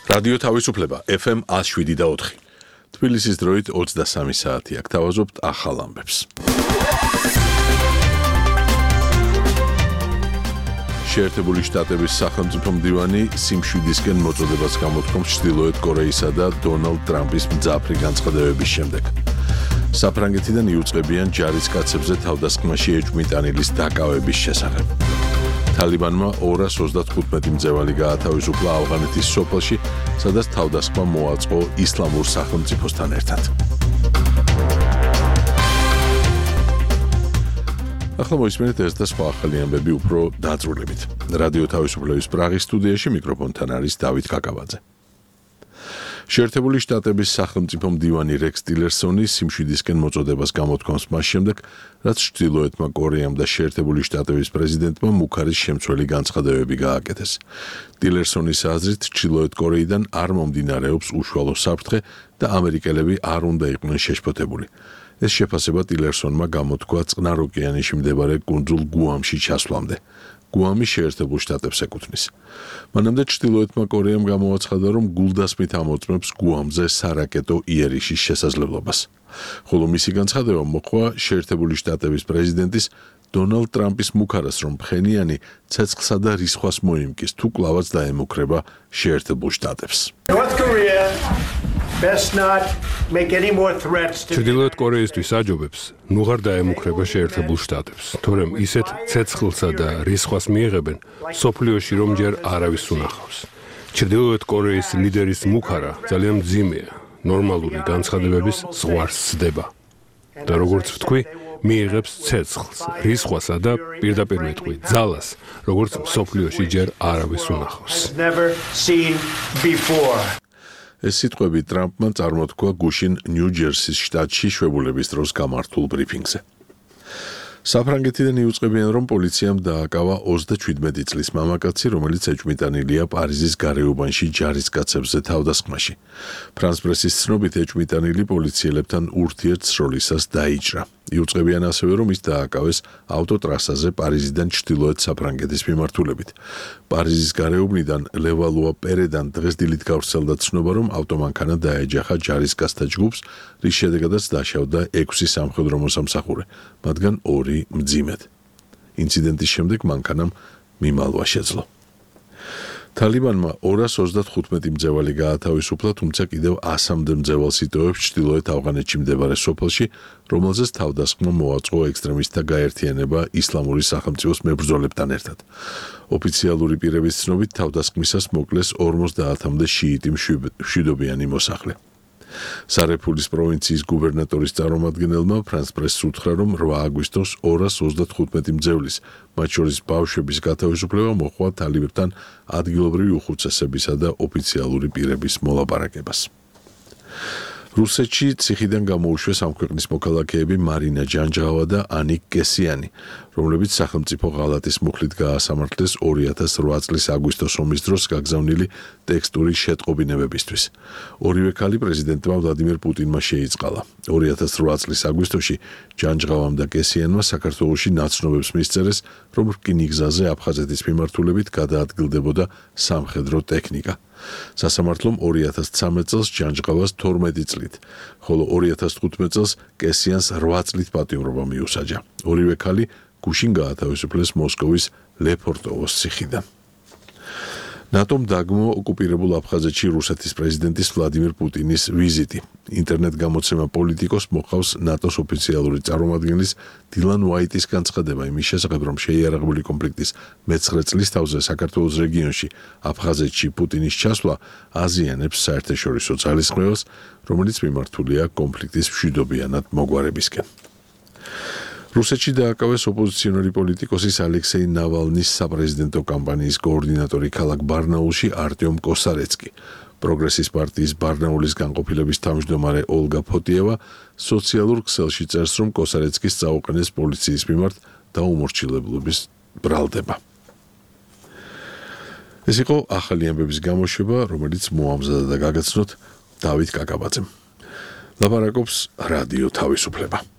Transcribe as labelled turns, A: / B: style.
A: რადიო თავისუფლება FM 107.4. თბილისის დროით 23 საათია. გთავაზობთ ახალ ამბებს. შეერთებული შტატების სახელმწიფო მდივანი სიმშვიდისკენ მოწოდებას გამოთქვამს ჩრდილოეთ კორეისა და დონალდ ტრამპის მძაფრი განცხადებების შემდეგ. საფრანგეთიდან იუწყებიან ჯარისკაცებზე თავდასხმაში ეჭვმიტანილის დაკავების შესახებ. თალიბანმა 235 მძევალი გაათავისუფლა ავღანეთის სოფელში, სადაც თავდასხმა მოაწყო ისლამურ სახელმწიფოსთან ერთად. ახლა მოისმენთ ეს და სხვა ახალი ამბები უფრო დაწვრილებით. რადიო თავისუფლების პრაღის სტუდიაში მიკროფონთან არის დავით კაკაბაძე. შეერთებული შტატების სახელმწიფო მდივანი რექს ტილერსონი სიმშვიდისკენ მოწოდებას გამოთქვამს მას შემდეგ, რაც ჩრდილოეთმა კორეამ და შეერთებული შტატების პრეზიდენტმა მუქარის შემცველი განცხადებები გააკეთეს. ტილერსონის აზრით, ჩრდილოეთ კორეიდან არ მომდინარეობს უშუალო საფრთხე და ამერიკელები არ უნდა იყვნენ შეშფოთებული. ეს შეფასება ტილერსონმა გამოთქვა წყნარ ოკეანეში მდებარე კუნძულ გუამში ჩასვლამდე. გუამი შეერთებულ შტატებს ეკუთვნის. მანამდე ჩრდილოეთმა კორეამ გამოაცხადა, რომ გულდასმით ამოწმებს გუამზე სარაკეტო იერიშის შესაძლებლობას. ხოლო მისი განცხადება მოჰყვა შეერთებული შტატების პრეზიდენტის დონალდ ტრამპის მუქარას, რომ ფხენიანი ცეცხლსა და რისხვას მოიმკის, თუ კლავაც დაემუქრება შეერთებულ შტატებს.
B: ჩრდილოეთ კორეისთვის აჯობებს ნუღარ დაემუქრება შეერთებულ შტატებს, თორემ ისეთ ცეცხლსა და რისხვას მიიღებენ სოფლიოში, რომ ჯერ არავის უნახავს. ჩრდილოეთ კორეის ლიდერის მუქარა ძალიან მძიმეა, ნორმალური განცხადებების ზღვარს სდება და როგორც ვთქვი, მიიღებს ცეცხლს, რისხვასა და პირდაპირ ვეთქვი, ძალას, როგორც სოფლიოში ჯერ არავის უნახავს.
A: ეს სიტყვები ტრამპმა წარმოთქვა გუშინ ნიუ-ჯერსის შტატში შვებულების დროს გამართულ ბრიფინგზე. საფრანგეთიდან იუწყებიან, რომ პოლიციამ დააკავა 27 წლის მამაკაცი, რომელიც ეჭვმიტანილია პარიზის გარეუბანში ჯარისკაცებზე თავდასხმაში. ფრანს პრესის ცნობით, ეჭვმიტანილი პოლიციელებთან ურთიერთსროლისას დაიჭრა. იუწყებიან ასევე, რომ ის დააკავეს ავტოტრასაზე პარიზიდან ჩრდილოეთ საფრანგეთის მიმართულებით. პარიზის გარეუბნიდან ლევალუა პერედან დღეს დილით გავრცელდა ცნობა, რომ ავტომანქანა დაეჯახა ჯარისკაცთა ჯგუფს, რის შედეგადაც დაშავდა 6 სამხედრო მოსამსახურე, მათგან 2 მძიმედ. ინციდენტის შემდეგ მანქანამ მიმალვა შეძლო. თალიბანმა 235 მძევალი გაათავისუფლა, თუმცა კიდევ 100-მდე მძევალს იტოვებს ჩრდილოეთ ავღანეთში მდებარე სოფელში, რომელზეც თავდასხმა მოაწყო ექსტრემისტთა გაერთიანება ისლამური სახელმწიფოს მებრძოლებთან ერთად. ოფიციალური პირების ცნობით, თავდასხმისას მოკლეს 50-მდე შიიტი მშვიდობიანი მოსახლე. სარეფულის პროვინციის გუბერნატორის წარმომადგენელმა ფრანს პრესს უთხრა, რომ 8 აგვისტოს 235 მძევლის, მათ შორის ბავშვების გათავისუფლება მოჰყვა თალიბებთან ადგილობრივი უხუცესებისა და ოფიციალური პირების მოლაპარაკებას. რუსეთში ციხიდან გამოუშვეს ამ ქვეყნის მოქალაქეები მარინა ჯანჯღავა და ანიკ კესიანი, რომლებიც სახელმწიფო ღალატის მუხლით გაასამართლეს 2008 წლის აგვისტოს ომის დროს გაგზავნილი ტექსტური შეტყობინებებისთვის. ორივე ქალი პრეზიდენტმა ვლადიმირ პუტინმა შეიწყალა. 2008 წლის აგვისტოში ჯანჯღავამ და კესიანმა საქართველოში ნაცნობებს მისწერეს, რომ რკინიგზაზე აფხაზეთის მიმართულებით გადაადგილდებოდა სამხედრო ტექნიკა. სასამართლომ 2013 წელს ჯანჯღავას 12 წლით, ხოლო 2015 წელს კესიანს 8 წლით პატიმრობა მიუსაჯა. ორივე ქალი გუშინ გაათავისუფლეს მოსკოვის ლეფორტოვოს ციხიდან. ნატომ დაგმო ოკუპირებულ აფხაზეთში რუსეთის პრეზიდენტის ვლადიმირ პუტინის ვიზიტი. ინტერნეტ გამოცემა პოლიტიკოს მოყავს ნატოს ოფიციალური წარმომადგენლის დილან უაიტის განცხადება იმის შესახებ, რომ შეიარაღებული კონფლიქტის მე-9 წლის თავზე საქართველოს რეგიონში აფხაზეთში პუტინის ჩასვლა აზიანებს საერთაშორისო ძალისხმევას, რომელიც მიმართულია კონფლიქტის მშვიდობიანად მოგვარებისკენ. რუსეთში დააკავეს ოპოზიციონერი პოლიტიკოსის ალექსეი ნავალნის საპრეზიდენტო კამპანიის კოორდინატორი ქალაქ ბარნაულში არტიომ კოსარეცკი. პროგრესის პარტიის ბარნაულის განყოფილების თავმჯდომარე ოლგა ფოტიევა სოციალურ ქსელში წერს, რომ კოსარეცკის წაუყენეს პოლიციის მიმართ დაუმორჩილებლობის ბრალდება. ეს იყო ახალი ამბების გამოშვება, რომელიც მოამზადა და გაგაცნოთ დავით კაკაბაძემ. ლაპარაკობს რადიო თავისუფლება.